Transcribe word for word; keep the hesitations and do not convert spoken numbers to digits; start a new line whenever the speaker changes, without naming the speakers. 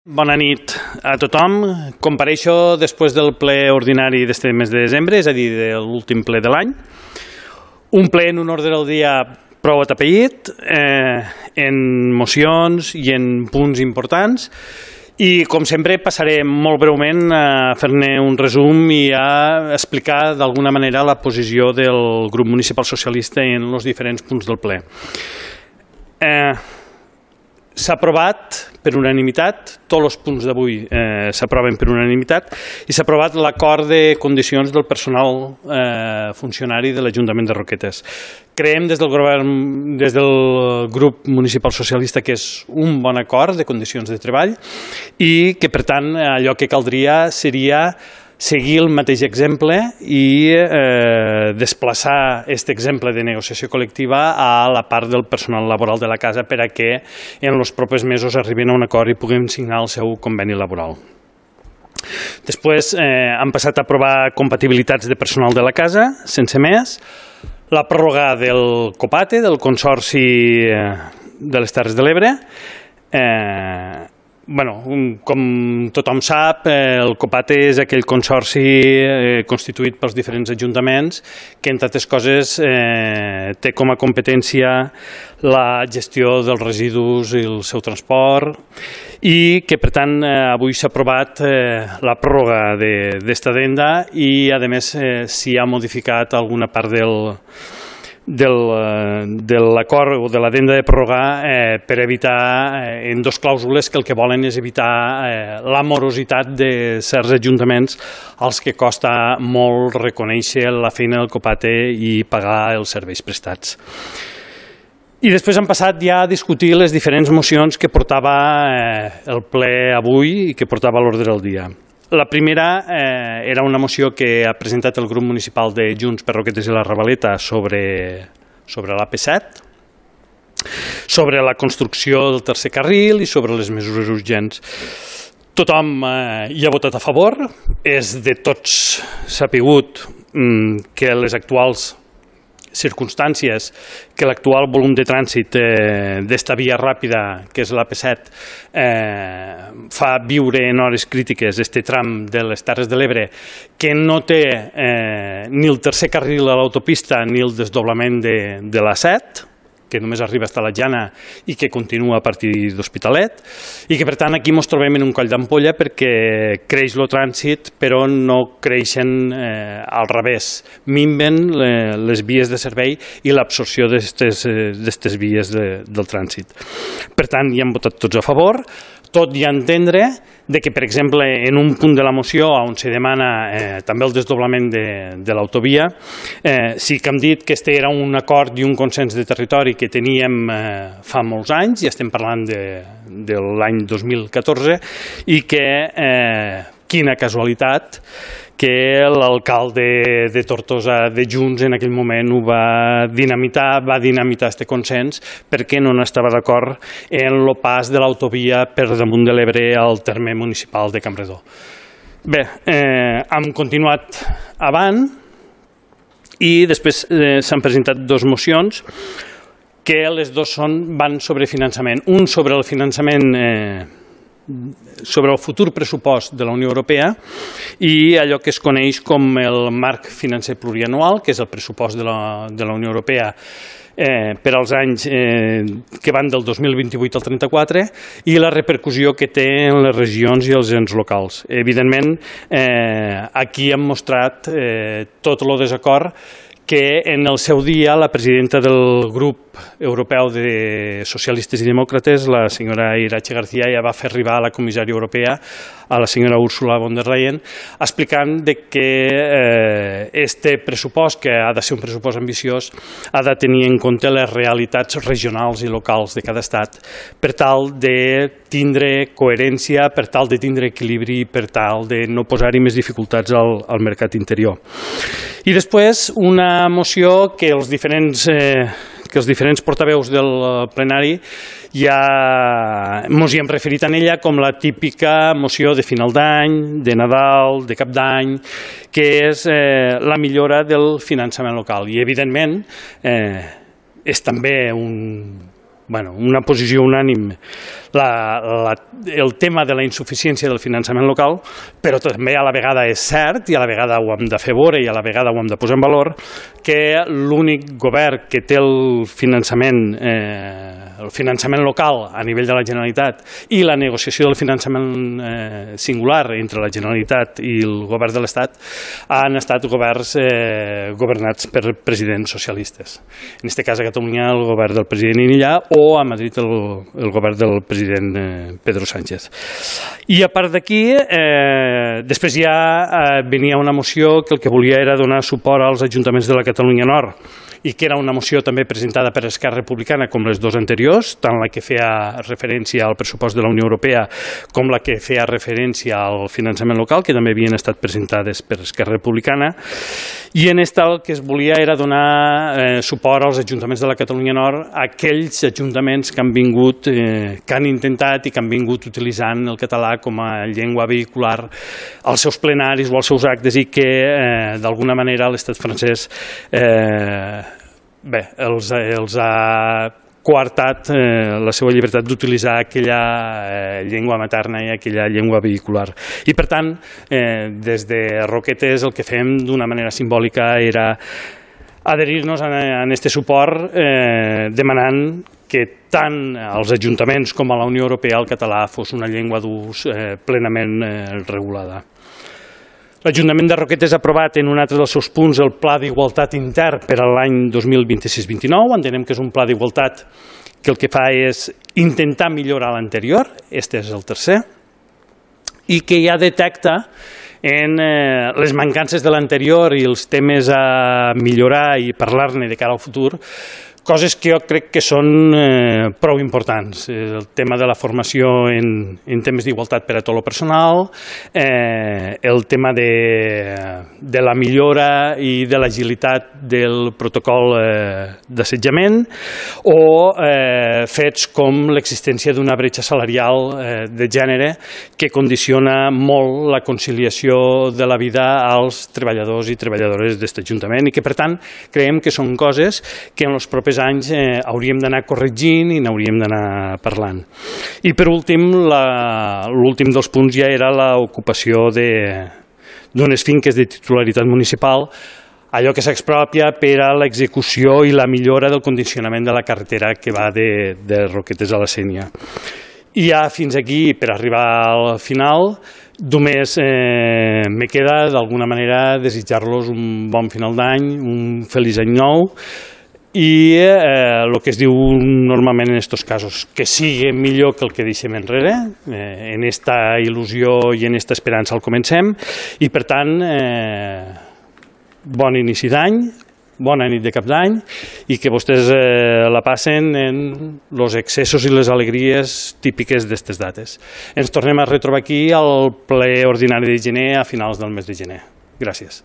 Bona nit a tothom. Compareixo després del ple ordinari d'este mes de desembre, és a dir, de l'últim ple de l'any. Un ple en un ordre del dia prou atapeït, eh, en mocions i en punts importants. I, com sempre, passaré molt breument a fer-ne un resum i a explicar d'alguna manera la posició del grup municipal socialista en els diferents punts del ple. Eh, S'ha aprovat per unanimitat, tots els punts d'avui eh, s'aproven per unanimitat, i s'ha aprovat l'acord de condicions del personal eh, funcionari de l'Ajuntament de Roquetes. Creiem des del, govern, des del grup municipal socialista que és un bon acord de condicions de treball i que, per tant, allò que caldria seria seguir el mateix exemple i eh, desplaçar aquest exemple de negociació col·lectiva a la part del personal laboral de la casa per a que en els propers mesos arribin a un acord i puguem signar el seu conveni laboral. Després eh, han passat a aprovar compatibilitats de personal de la casa, sense més, la pròrroga del COPATE, del Consorci de les Terres de l'Ebre. Eh, Bueno, com tothom sap, el COPATE és aquell consorci constituït pels diferents ajuntaments que, entre altres coses, té com a competència la gestió dels residus i el seu transport i que, per tant, avui s'ha aprovat la pròrroga d'esta addenda i, a més, s'hi ha modificat alguna part del de l'acord o de l'addenda de pròrroga eh, per evitar eh, en dos clàusules que el que volen és evitar eh, la morositat de certs ajuntaments als que costa molt reconèixer la feina del COPATE i pagar els serveis prestats. I després han passat ja a discutir les diferents mocions que portava eh, el ple avui i que portava a l'ordre del dia. La primera eh, era una moció que ha presentat el grup municipal de Junts per Roquetes i la Ravaleta sobre, sobre l'A P set, sobre la construcció del tercer carril i sobre les mesures urgents. Tothom eh, hi ha votat a favor, és de tots sapigut mm, que les actuals circumstàncies, que l'actual volum de trànsit eh, d'esta via ràpida, que és l'A P set, eh, fa viure en hores crítiques este tram de les Terres de l'Ebre, que no té eh, ni el tercer carril a l'autopista ni el desdoblament de, de l'A set, que només arriba fins a la Jana i que continua a partir d'Hospitalet, i que, per tant, aquí ens trobem en un coll d'ampolla perquè creix el trànsit, però no creixen eh, al revés. Minven les vies de servei i l'absorció d'aquestes vies de, del trànsit. Per tant, hi han votat tots a favor, tot i entendre de que, per exemple, en un punt de la moció on se demana eh, també el desdoblament de, de l'autovia, eh, sí que hem dit que este era un acord i un consens de territori que teníem eh, fa molts anys, i estem parlant de, de l'any dos mil catorze, i que, eh, quina casualitat, que l'alcalde de Tortosa de Junts en aquell moment ho va dinamitar, va dinamitar aquest consens perquè no estava d'acord en el pas de l'autovia per damunt de l'Ebre al terme municipal de Campredó. Bé, eh, hem continuat avant i després eh, s'han presentat dues mocions que les dues són, van sobre finançament. Un sobre el finançament eh, sobre el futur pressupost de la Unió Europea i allò que es coneix com el marc financer plurianual, que és el pressupost de la, de la Unió Europea eh, per als anys eh, que van del dos mil vint-i-vuit al trenta-quatre i la repercussió que té en les regions i els ens locals. Evidentment, eh, aquí hem mostrat eh, tot el desacord que en el seu dia la presidenta del grup europeu de socialistes i demòcrates, la senyora Iratxe García, ja va fer arribar a la comissària europea, a la senyora Ursula von der Leyen, explicant que este pressupost, que ha de ser un pressupost ambiciós, ha de tenir en compte les realitats regionals i locals de cada estat per tal de tindre coherència, per tal de tindre equilibri, per tal de no posar-hi més dificultats al, al mercat interior. I després una moció que els diferents, eh, que els diferents portaveus del plenari ja ens hi hem referit en ella com la típica moció de final d'any, de Nadal, de Cap d'Any, que és eh, la millora del finançament local. I, evidentment, eh, és també un, bueno, una posició unànime la, la, el tema de la insuficiència del finançament local, però també a la vegada és cert, i a la vegada ho hem de fer veure i a la vegada ho hem de posar en valor, que l'únic govern que té el finançament, eh, el finançament local a nivell de la Generalitat i la negociació del finançament eh, singular entre la Generalitat i el govern de l'Estat han estat governs eh, governats per presidents socialistes. En aquest cas a Catalunya el govern del president Illa o a Madrid el, el govern del president eh, Pedro Sánchez. I a part d'aquí, eh, després ja eh, venia una moció que el que volia era donar suport als ajuntaments de la Catalunya Nord, i que era una moció també presentada per Esquerra Republicana com les dues anteriors, tant la que feia referència al pressupost de la Unió Europea com la que feia referència al finançament local, que també havien estat presentades per Esquerra Republicana, i en esta el que es volia era donar eh, suport als ajuntaments de la Catalunya Nord, a aquells ajuntaments que han vingut, eh, que han intentat i que han vingut utilitzant el català com a llengua vehicular als seus plenaris o als seus actes i que eh, d'alguna manera l'estat francès eh, bé, els, els ha coartat eh, la seva llibertat d'utilitzar aquella eh, llengua materna i aquella llengua vehicular. I per tant, eh, des de Roquetes el que fem d'una manera simbòlica era adherir-nos a aquest suport eh, demanant que tant als ajuntaments com a la Unió Europea el català fos una llengua d'ús eh, plenament eh, regulada. L'Ajuntament de Roquetes ha aprovat en un altre dels seus punts el Pla d'Igualtat Intern per a l'any dos mil vint-i-sis vint nou. Entenem que és un pla d'igualtat que el que fa és intentar millorar l'anterior, aquest és el tercer, i que ja detecta en eh, les mancances de l'anterior i els temes a millorar i parlar-ne de cara al futur, coses que jo crec que són eh, prou importants. El tema de la formació en, en temes d'igualtat per a tot el personal, eh, el tema de, de la millora i de l'agilitat del protocol eh, d'assetjament o eh, fets com l'existència d'una bretxa salarial eh, de gènere que condiciona molt la conciliació de la vida als treballadors i treballadores d'aquest Ajuntament i que, per tant, creiem que són coses que en els propers anys eh, hauríem d'anar corregint i n'hauríem d'anar parlant. I per últim, l'últim dels punts ja era l'ocupació d'unes finques de titularitat municipal, allò que s'expropia per a l'execució i la millora del condicionament de la carretera que va de, de Roquetes a la Sénia. I ja fins aquí, per arribar al final, només eh, me queda d'alguna manera desitjar-los un bon final d'any, un feliç any nou, i el eh, que es diu normalment en aquests casos, que sigui millor que el que deixem enrere, eh, en esta il·lusió i en esta esperança el comencem, i per tant, eh, bon inici d'any, bona nit de cap d'any, i que vostès eh, la passen en els excessos i les alegries típiques d'aquestes dates. Ens tornem a retrobar aquí al ple ordinari de gener a finals del mes de gener. Gràcies.